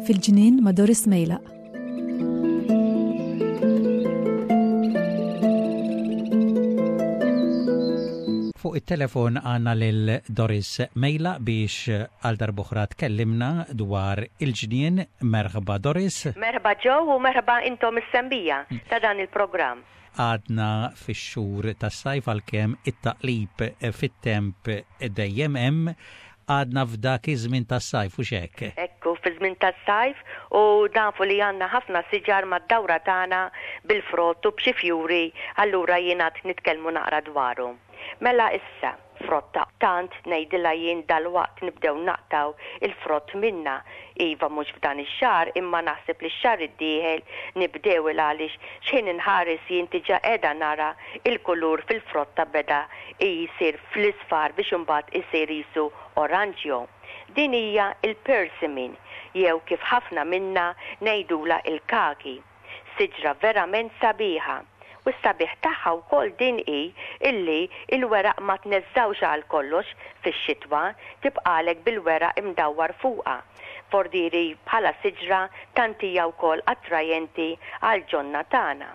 Fil-ġnien ma' Doris Mejlaq. Fuq it-telefon għandna lil Doris Mejlaq biex għal darb'oħra tkellimna dwar il-ġnien. Merħba Doris. Merħba Joe u merħba intom is-sembija ta' dan il-programm. Għadna fix-xhur tas-sajf għalkemm it-taqlib fit-temp dejjem hemm. Għadna f'dak iż-żmien tas-sajf, hux hekk? Ekku, fiż-żmien tas-sajf u nafu li għandna ħafna siġar mad-dawra tagħna bil-frott u b'xi fjuri, allura jien għad nitkellmu naqra dwarhom. Mela issa, frotta tant ngħidilha jien dalwaqt nibdew naqtgħu il-frott minnha. Iva mhux f'dan ix-xahar imma naħseb li x-xahar id-dieħel nibdew il għaliex x'ħin inħares jien diġà qiegħda nara il-kulur fil-frotta beda jsir fl-isfar biex imbagħad isir qisu oranġjo. Din hija l-persimmon jew kif ħafna minna ngħidulha il-kaki. Siġra verament sabiħa. U s-sabiħ tagħha wkoll din hi illi l-weraq ma tneżżgħux għal kollox fix-xitwa, tibqagħlek bil-weraq imdawwar fuqha. Fordieri bħala siġra tant hija wkoll attrajenti għall-ġonna tagħna.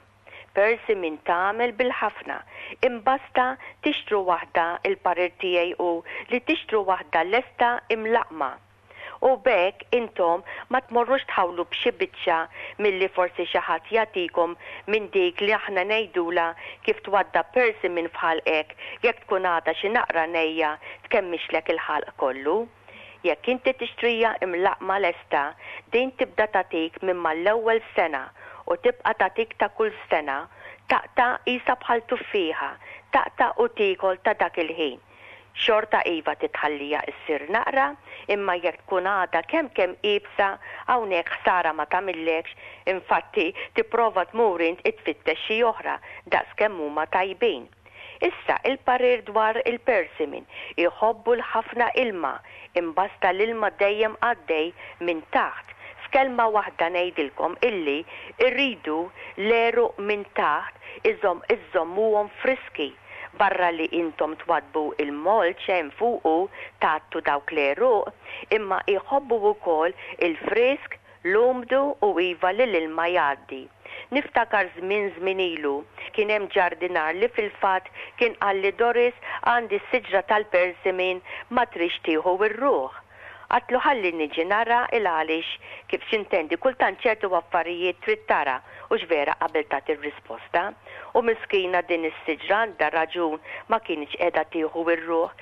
Persimmon tagħmel bil-ħafna. Imbasta tixtru waħda il-parir tiegħi hu li tixtru waħda lesta imlaqqma. U b'hekk intom ma tmorrux tħawlu b'xi biċċa milli forsi xi ħadd jagħtikom minn dik li aħna ngħidulha kif twaddab persimmon f'ħalqek jekk tkun għadha xi naqra nejja tkemmixlek il-ħalq kollu. Jekk inti tixtrija imlaqqma lesta, din tibda tagħtik minn mal-ewwel sena u tibqa' tagħtik ta' kull sena, taqta' qisha bħal tuffieħa, taqta' u tiekol ta' dak il-ħin. Xorta iva titħallija issir naqra, imma jekk tkun għadha kemm kemm iebsa, hawnhekk ħsara ma tagħmillekx, infatti tipprova tmur int itfittex xi oħra daqs kemm huma tajbin. Issa il-parir dwar il-persimmon, iħobbu l-ħafna ilma, imbasta l-ilma dejjem għaddej minn taħt. F'kelma waħda ngħidilkom illi rridu l-għeruq minn taħt iżomm iżżommuhom friski. Barra li intom twaddbu il-mulch hemm fuqu tgħattu dawk l-għeruq, imma jħobbu wkoll il-frisk, l-umdu u iva li l-ilma jgħaddi. Niftakar żmien żmien ilu, kien hemm ġardinar li fil-fatt kien qalli Doris għandi s-siġra tal-persimmon ma tridx tieħu r-ruħ. Għadtlu ħalli niġi nara il għaliex kif x'intendi kultant ċertu affarijiet trid tara hux vera qabel tagħti r-risposta. U miskina din is-siġra għandha raġun ma kinitx qiegħda tieħu r-ruħ.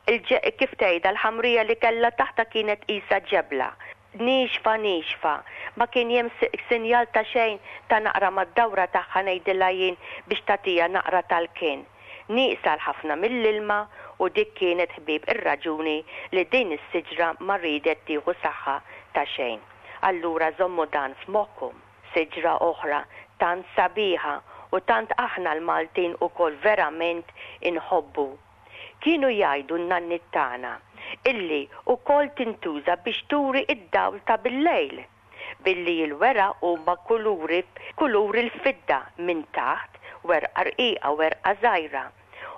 Il-ġe kif tgħidha l-ħamrija li kellha taħtha kienet qisha ġebla. Niexfa niexfa. Ma kien hemm sinjal ta' xejn ta' naqra mad-dawra tagħha ngħidilha jien biex tagħtiha naqra tal-kien. Nieqsa l-ħafna mill-ilma u dik kienet ħbieb ir-raġuni li din is-siġra ma riedet tieħu saħħa ta' xejn. Allura żommu dan f'moħħkom. Siġra oħra tant sabiħa u tant aħna l-Maltin ukoll verament inħobbu. Kienu jgħidu n-nanniet tagħna illi wkoll tintuża biex turi d-dawl ta' bil-lejl. Billi l-weraq huma kuluri kulur il-fidda minn taħt, werqa rqiqa, werqa żgħira.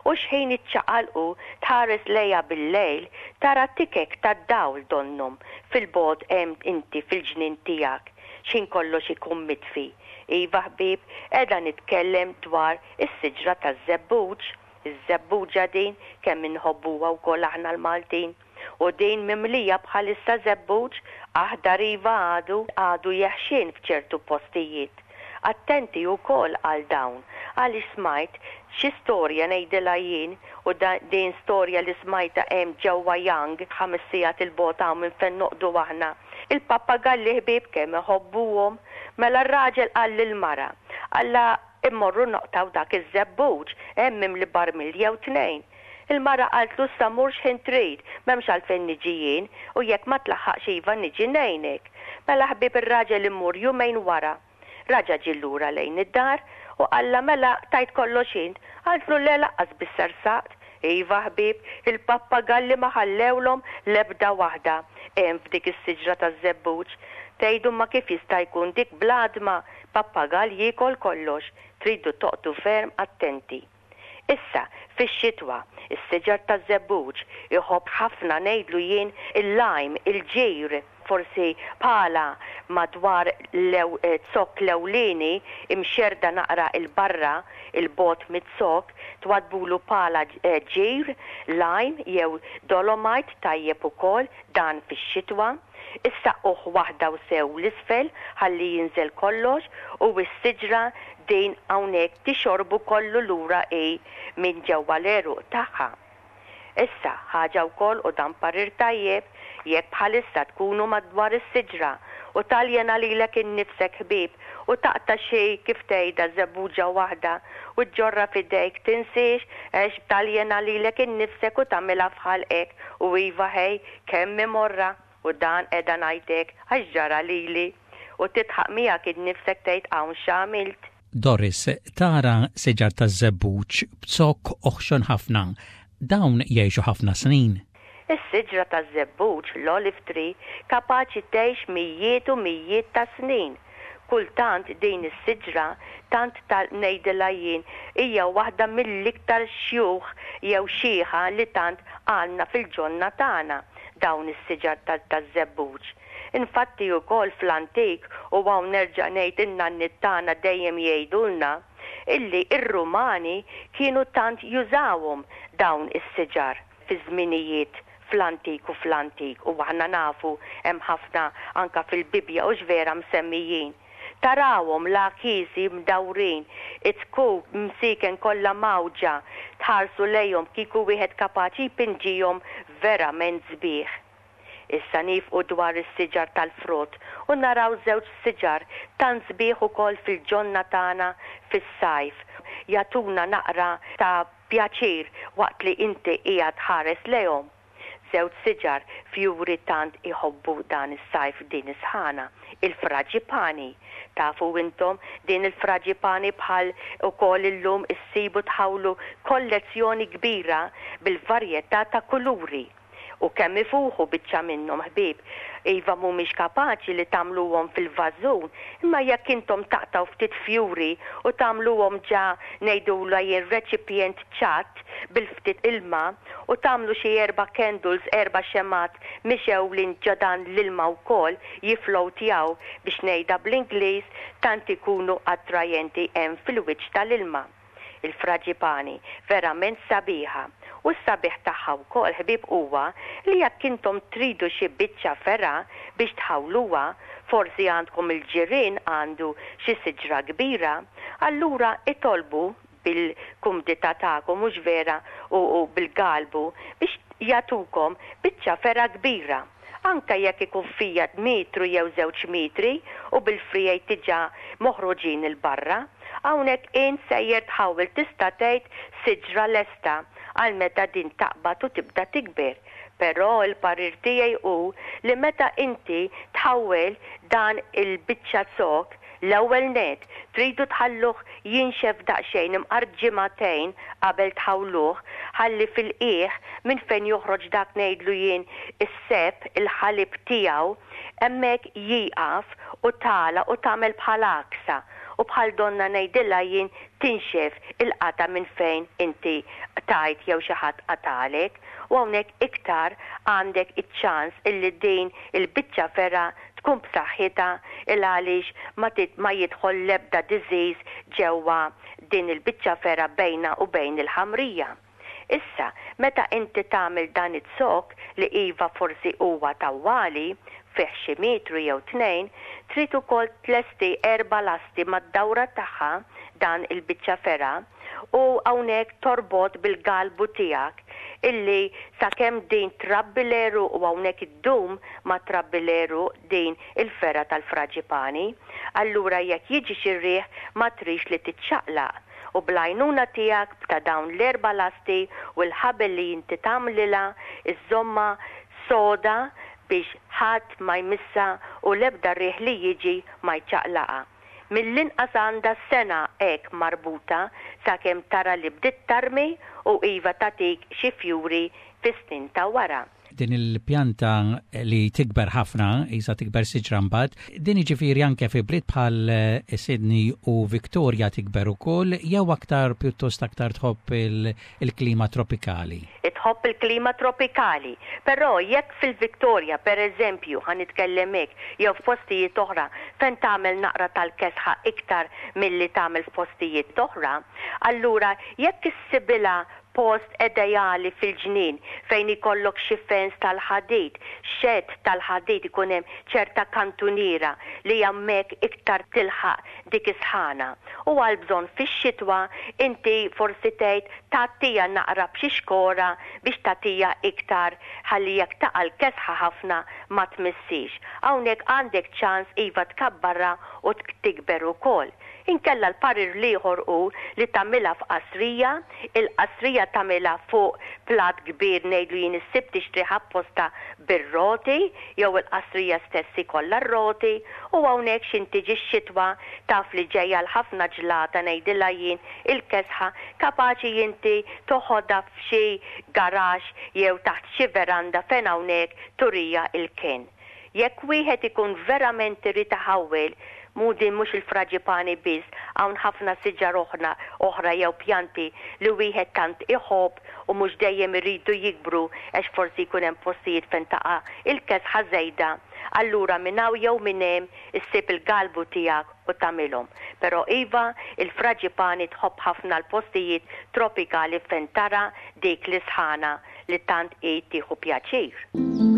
U xħin iċċaqalqu tħares lejha bil-lejl tara tikek tad-dawl donnhom fil-bogħod hemm inti fil-ġnien tiegħek xħin kollox ikun mitfi. Iva ħbieb, qiegħda nitkellem dwar is-siġra taż-żebbuġ. Iż-żebbuġa din kemm inħobbuha wkoll aħna l-Maltin. U din mimlija bħalissa żebbuġ aħdar iva għadu għadu jeħxien f'ċertu postijiet. Attenti ukoll għal dawn għaliex smajt xi storja ngħidilha jien u din storja li smajtha hemm ġewwa Young ħames sigħat 'il bogħod hawn minn fejn noqogħdu aħna. Il-pappagalli ħbieb kemm iħobbuhom. Mela r-raġel qal lill-mara, qallha Immorru noqtgħu dak iż-żebbuġ, hemm mimli barmil jew tnejn. Il-mara qaltlu issa mur x'ħin trid, m'hemmx għalfejn niġi jien, u jekk ma tlaħħaqx iva niġi ngħinek. Mela ħbieb ir-raġel imur jumejn wara. Raġa' ġie lura lejn id-dar u qallha mela qtajt kollox int? Qaltlu le laqqas biss ersaqt. Iva ħbieb, il-pappagalli ma ħallewlhom l-ebda waħda hemm f'dik is-siġra taż-żebbuġ. Tgħidu imma kif jista' jkun dik bl-għadma? Pappagall jiekol kollox, tridu toqgħdu ferm attenti. Issa, fix-xitwa, is-siġar taż-żebbuġ iħobb ħafna ngħidlu jien il-lime, il-ġir, forsi pala madwar z-zokk l-ewlieni imxerrda naqra 'l barra 'l bogħod miz-zokk, twaddbulu pala ġir, lime jew dolomite tajjeb ukoll dan fix-xitwa. Issaqquh waħda u sew 'l isfel ħalli jinżel kollox u s-siġra din hawnhekk tixorbu kollu lura hi minn ġewwa l-għeruq tagħha. Issa, ħaġa wkoll u dan parir tajjeb, jekk bħalissa tkunu madwar is-siġra u taljena lilek innifsek ħbieb u taqta' xi, kif tgħidha, żebbuġa waħda u ġġorrha f'idejk tinsiex għax taljena lilek innifsek u tagħmilha f'ħalqek u iva ħej Kemm hi morra, u dan qiegħda ngħid hekk għax ġara lili. U tidħaq miegħek innifsek tgħid hawn x'għamilt. Doris, tara siġar taż-żebbuġ b'zokk oħxon ħafna. Dawn jgħixu ħafna snin. Is-siġra taż-żebbuġ, l-olive tree, kapaċi tgħix mijiet u mijiet ta' snin. Kultant din is-siġra, tant ta' ngħidilha jien, hija waħda mill-iktar xjuħ jew xiħa li tant għandna fil-ġonna tagħna, dawn is-siġar taż-żebbuġ. Infatti ukoll fl-antik, u hawn nerġa' ngħid in-nanniet tagħna dejjem jgħidulna, illi r-Rumani kienu tant jużawhom dawn is-siġar fi żminijiet fl-antik u fl-antik u aħna nafu hemm ħafna anka fil-Bibbja hux vera msemmijin. Tarawhom l-għakiesi mdawrin, it-zkuk msieken kollha mgħawġa, tħarsu lejhom kieku wieħed kapaċi jpinġihom verament sbieħ. Issa niefqu dwar is-siġar tal-frott u naraw żewġ siġar tant sbieħ ukoll fil-ġonna tagħna fis-sajf jagħtuna naqra ta' pjaċir waqt li inti qiegħed tħares lejhom. Żewġ siġar fjuri tant iħobbu dan is-sajf din is-sħana, il-fraġipani. Tafu intom din il-fraġipani bħal ukoll illum issibu tħawlu kollezzjoni kbira bil-varjetà ta' kuluri. U kemm ifuħu biċċa minnhom ħbieb. Iva mhumiex kapaċi li tagħmluhom fil-vażun, imma jekk intom taqtgħu ftit fjuri u tagħmluhom ġa ngħidulha jien reċipjent ċatt bil-ftit ilma u tagħmlu xi erba' candles erba' xemgħat mixgħulin ġo dan l-ilma wkoll jifflowtjaw biex ngħidha bl-Ingliż tant ikunu attrajenti hemm fil-wiċċ tal-ilma. Il-fraġipani verament sabiħa. U s-sabiħ tagħha wkoll, ħbieb, huwa li jekk intom tridu xi biċċa fergħa biex tħawluha, forsi għandkom il-ġirien għandu xi siġra kbira, allura itolbu bil-kumdità tagħkom, mhux vera, u bil-galbu, biex jagħtukom biċċa fergħa kbira. Anke jekk ikun fija metru jew żewġ metri u bil-friegħi diġà moħruġin 'il barra. Hawnhekk int sejjer tħawwel tista' tgħid siġra lesta għal meta din taqbad u tibda tikber. Però l-parir tiegħi hu li meta inti tħawwel dan il-biċċa zokk, L-ewwel nett, tridu tħalluh jinxef daqsxejn imqar ġimagħtejn qabel tħawluh, ħalli fil-qiegħ minn fejn joħroġ dak ngħidlu jien is-seb, il-ħalib tiegħu, hemmhekk jieqaf u tagħlaq u tagħmel bħal għaksa u bħal donnha ngħidilha jien tinxef il-qatgħa minn fejn inti qtajt jew xi ħadd qatagħlek u hawnhekk iktar għandek iċ-ċans illi din il-biċċa fergħa tkun b'saħħitha il għaliex ma ma jidħol l-ebda disease ġewwa din il-biċċa fergħa bejnha u bejn il-ħamrija. Issa, meta inti tagħmel dan iz-zokk li iva forsi huwa tawwali, fih xi metru jew tnejn, trid ukoll tlesti erba' lasti mad-dawra tagħha dan il-biċċa fergħa u hawnhekk torbot bil-galbu tiegħek illi sakemm din trabbi l-għeruq u hawnhekk iddum ma trabbi l-għeruq din il-fergħa tal-fraġipani. Allura jekk jiġi xi riħ ma trix li tiċċaqlaq u bl-għajnuna tiegħek ta' dawn l-erba' lasti u l-ħabel li inti tagħmlilha iżżommha soda biex ħadd ma jmissha u l-ebda riħ li jiġi ma jċaqlaqha. Mill-inqas għandha sena hekk marbuta sakemm tara li bdiet tarmi u iva tagħtik xi fjuri fis-snin ta' wara. Din il-pjanta li tikber ħafna, isa tikber siġra mbagħad, din jiġifieri anke fi bliet bħal Sydney u Victoria tikber ukoll jew aktar pjuttost aktar tħobb il-klima tropikali? Tħobb il-klima tropikali. Però jekk fil-Victoria, per eżempju, ħa nitkellem hekk, jew f'postijiet oħra fejn tagħmel naqra tal-kesħa iktar milli tagħmel f'postijiet oħra, allura jekk issibilha post ideali fil-ġnien fejn ikollok xi fence tal-ħadid, shed tal-ħadid ikun hemm ċerta kantuniera li hemmhekk iktar tilħaq dik is-sħana. U għall-bżonn fix-xitwa inti forsi tgħid tgħattiha naqra b'xi xkora biex tagħtiha iktar ħalli jekk taqa' l-kesħa ħafna ma tmissiex. Hawnhekk għandek ċans iva tkabbarha u tikber ukoll. Inkella l-parir l-ieħor hu li tagħmilha f'qasrija, il-qasrija tagħmilha fuq platt kbir ngħidlu jien issib tixtrih apposta bir-roti jew il-qasrija stess ikollha r-roti u hawnhekk x'in tiġi x-xitwa taf li ġejja l-ħafna ġlata ngħidilha jien il-kesħa kapaċi inti toħodha f'xi garaxx jew taħt xi veranda fejn hawnhekk turija l-kenn. Jekk wieħed ikun verament irid iħawwel, mhu din mhux il-fraġipani biss, hawn ħafna siġar oħra oħra jew pjanti li wieħed tant iħobb u mhux dejjem iridu jikbru għax forsi jkun hemm postijiet fejn taqa' il-kesħa żejda, allura minn hawn jew minn hemm issib il-galbu tiegħek u tagħmilhom. Però iva, il-fraġipani tħobb ħafna l-postijiet tropikali fejn tara dik l-isħana li tant hi tieħu pjaċir.